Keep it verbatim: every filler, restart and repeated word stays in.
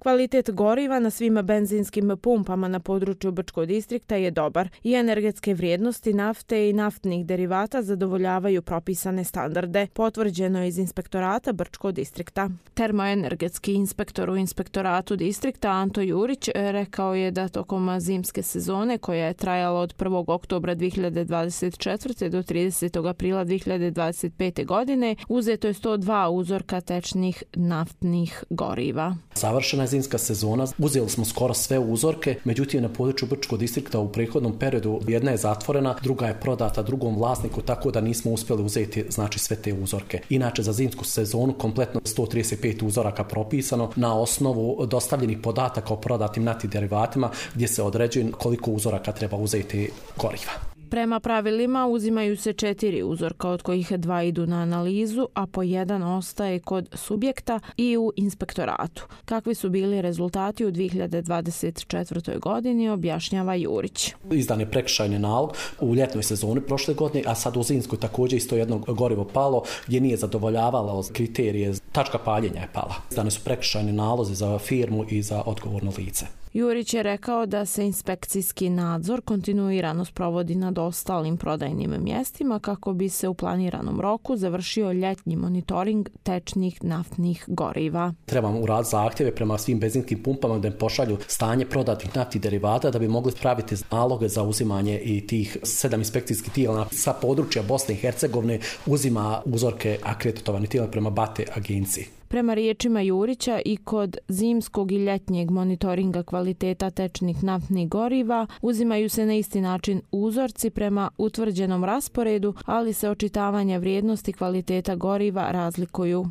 Kvalitet goriva na svim benzinskim pumpama na području Brčkog distrikta je dobar i energetske vrijednosti nafte i naftnih derivata zadovoljavaju propisane standarde, potvrđeno je iz inspektorata Brčkog distrikta. Termoenergetski inspektor u inspektoratu distrikta Anto Jurić rekao je da tokom zimske sezone, koja je trajala od prvog oktobra dvije hiljade dvadeset četvrte do tridesetog aprila dvije hiljade dvadeset pete. godine, uzeto je sto dva uzorka tečnih naftnih goriva. Završena je zimska sezona, uzeli smo skoro sve uzorke, međutim na području Brčkog distrikta u prethodnom periodu jedna je zatvorena, druga je prodata drugom vlasniku, tako da nismo uspjeli uzeti znači sve te uzorke. Inače za zimsku sezonu kompletno sto trideset pet uzoraka propisano na osnovu dostavljenih podataka o prodatim naftnim derivatima gdje se određuje koliko uzoraka treba uzeti goriva. Prema pravilima uzimaju se četiri uzorka, od kojih dva idu na analizu, a po jedan ostaje kod subjekta i u inspektoratu. Kakvi su bili rezultati u dvije hiljade dvadeset četvrtoj. godini, objašnjava Jurić. Izdan je prekršajni nalog u ljetnoj sezoni prošle godine, a sad u zimskoj također isto jedno gorivo palo gdje nije zadovoljavalo kriterije, tačka paljenja je pala. Izdane su prekršajni nalozi za firmu i za odgovorno lice. Jurić je rekao da se inspekcijski nadzor kontinuirano sprovodi nad ostalim prodajnim mjestima kako bi se u planiranom roku završio ljetnji monitoring tečnih naftnih goriva. Trebamo uraditi zahtjeve prema svim benzinskim pumpama da im pošalju stanje prodatih naftnih derivata da bi mogli praviti naloge za uzimanje i tih sedam inspekcijskih tijela sa područja Bosne i Hercegovine uzima uzorke akreditovanih tijela prema BATE agenciji. Prema riječima Jurića, i kod zimskog i ljetnjeg monitoringa kvaliteta tečnih naftnih goriva uzimaju se na isti način uzorci prema utvrđenom rasporedu, ali se očitavanja vrijednosti kvaliteta goriva razlikuju.